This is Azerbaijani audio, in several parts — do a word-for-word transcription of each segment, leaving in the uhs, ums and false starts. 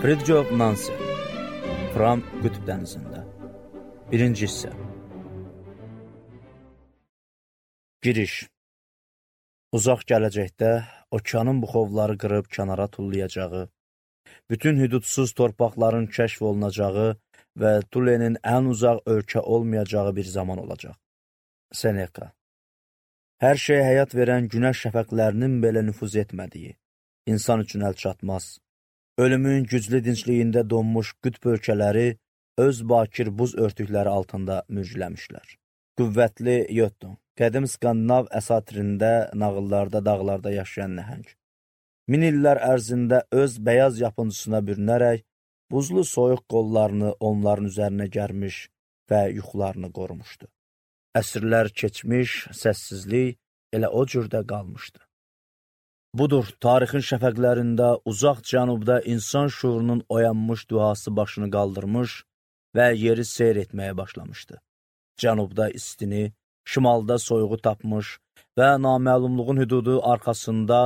Fridtjof Nansen, Fram Qütb dənizində. Birinci hissə. Giriş. Uzaq gələcəkdə okeanın buxovları qırıb kənara tullayacağı, bütün hüdudsuz torpaqların kəşf olunacağı və Tulenin ən uzaq ölkə olmayacağı bir zaman olacaq. Seneca. Hər şey həyat verən günəş şəfəqlərinin belə nüfuz etmədiyi, insan üçün əl çatmaz. Ölümün güclü dincliyində donmuş qütb ölkələri öz bakir buz örtükləri altında mürgüləmişlər. Qüvvətli Jötun, qədim Skandinav əsatirində, nağıllarda, dağlarda yaşayan nəhəng. Min illər ərzində öz bəyaz yapıncısına bürünərək, buzlu soyuq qollarını onların üzərinə gərmiş və yuxularını qorumuşdu. Əsrlər keçmiş, səssizlik elə o cürdə qalmışdı. Budur, tarixin şəfəqlərində, uzaq cənubda insan şuurunun oyanmış duası başını qaldırmış və yeri seyr etməyə başlamışdı. Cənubda istini, şimalda soyuğu tapmış və naməlumluğun hüdudu arxasında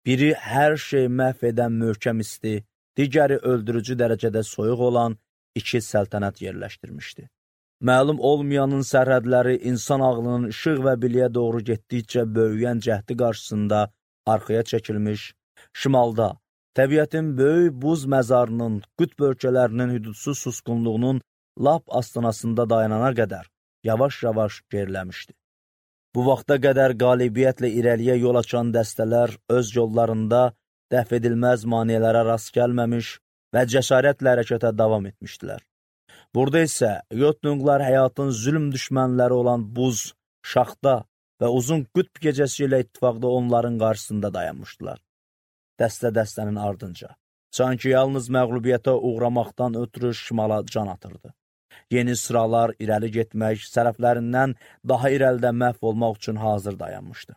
biri hər şey məhv edən möhkəm isti, digəri öldürücü dərəcədə soyuq olan iki səltənət yerləşdirmişdi. Məlum olmayanın sərhədləri insan ağlının işıq və biliyə doğru getdikcə böyüyən cəhdi qarşısında arxaya çəkilmiş, şimalda təbiətin böyük buz məzarının, qütb ölkələrinin hüdudsuz susqunluğunun lap astanasında dayanana qədər yavaş-yavaş geriləmişdi. Bu vaxta qədər qalibiyyətlə irəliyə yol açan dəstələr öz yollarında dəf edilməz maneələrə rast gəlməmiş və cəsarətlə hərəkətə davam etmişdilər. Burada isə Jötunqlar həyatın zülm düşmənləri olan buz, şaxta və uzun qütb gecəsi ilə ittifaqda onların qarşısında dayanmışdılar. Dəstə-dəstənin ardınca, sanki yalnız məğlubiyyətə uğramaqdan ötürü şimala can atırdı. Yeni sıralar irəli getmək, sərəflərindən daha irəlidə məhv olmaq üçün hazır dayanmışdı.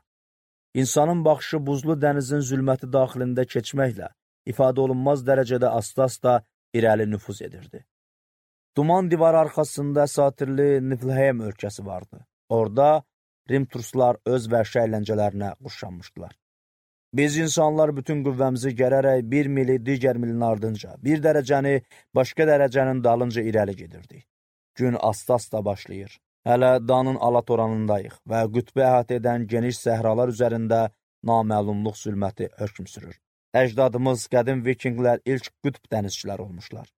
İnsanın baxışı buzlu dənizin zülməti daxilində keçməklə ifadə olunmaz dərəcədə asta-asta irəli nüfuz edirdi. Duman divarı arxasında əsatirli Niflheim ölkəsi vardı. Orada Rim turistlər öz vəhşi əyləncələrinə quşanmışdılar. Biz insanlar bütün qüvvəmizi gərərək bir mili digər milin ardınca, bir dərəcəni başqa dərəcənin dalınca irəli gedirdik. Gün asta-asta başlayır. Hələ danın alatoranındayıq və qütbə əhatə edən geniş səhralar üzərində naməlumluq zülməti hökm sürür. Əcdadımız, qədim vikinglər ilk qütb dənizçilər olmuşlar.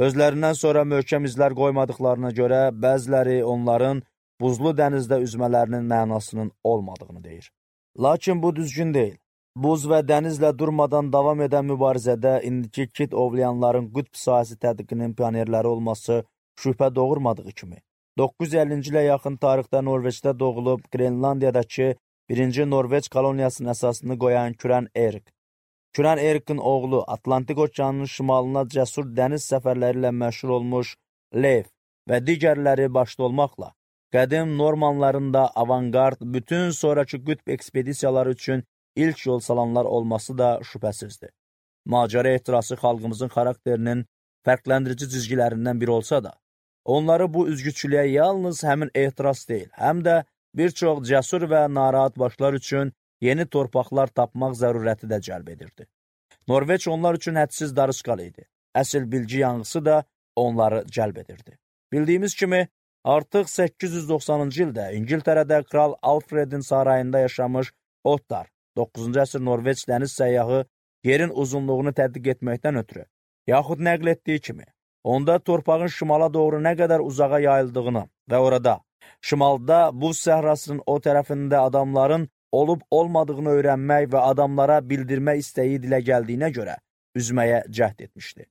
Özlərindən sonra möhkəm izlər qoymadıqlarına görə bəziləri onların buzlu dənizdə üzmələrinin mənasının olmadığını deyir. Lakin bu düzgün deyil. Buz və dənizlə durmadan davam edən mübarizədə indiki kit ovlayanların qütb sahəsi tədqiqinin pionerləri olması şübhə doğurmadığı kimi, doqquz yüz əllinci ilə yaxın tarixdə Norveçdə doğulub Grenlandiyadakı birinci Norveç koloniyasının əsasını qoyan Kürən Erik. Kürən Erikin oğlu Atlantik okeanının şimalına cəsur dəniz səfərləri ilə məşhur olmuş Leif və digərləri başda olmaqla, qədim Normanların da avangard, bütün sonraki qütb ekspedisiyaları üçün ilk yol salanlar olması da şübhəsizdir. Macəra ehtirası xalqımızın xarakterinin fərqləndirici cizgilərindən biri olsa da, onları bu üzgüçülüyə yalnız həmin ehtiras deyil, həm də bir çox cəsur və narahat başlar üçün yeni torpaqlar tapmaq zərurəti də cəlb edirdi. Norveç onlar üçün hədsiz darışqal idi. Əsl bilgi yanğısı da onları cəlb edirdi. Bildiyimiz kimi, artıq səkkiz yüz doxsanıncı ildə İngiltərədə Kral Alfredin sarayında yaşamış Ottar, doqquzuncu əsr Norveç dəniz səyyahı yerin uzunluğunu tədqiq etməkdən ötürü, yaxud nəql etdiyi kimi, onda torpağın şimala doğru nə qədər uzağa yayıldığını və orada, şimalda buz səhrasının o tərəfində adamların olub-olmadığını öyrənmək və adamlara bildirmək istəyi dilə gəldiyinə görə üzməyə cəhd etmişdi.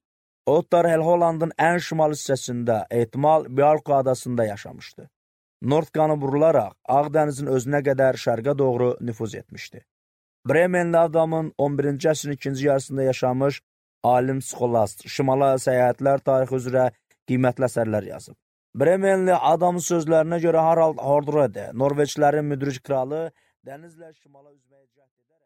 Ottar Helholandın ən şimal hissəsində, ehtimal Bjarka adasında yaşamışdı. Nordkanı vurularaq Ağdənizin özünə qədər şərqə doğru nüfuz etmişdi. Bremenli adamın on birinci əsrin ikinci yarısında yaşamış alim Skolast, şimala səyahətlər tarixi üzrə qiymətli əsərlər yazıb. Bremenli adamın sözlərinə görə Harald Hårderåde, Norveçlərin müdrik kralı, dənizlə şimala üzməyə cəhd edərək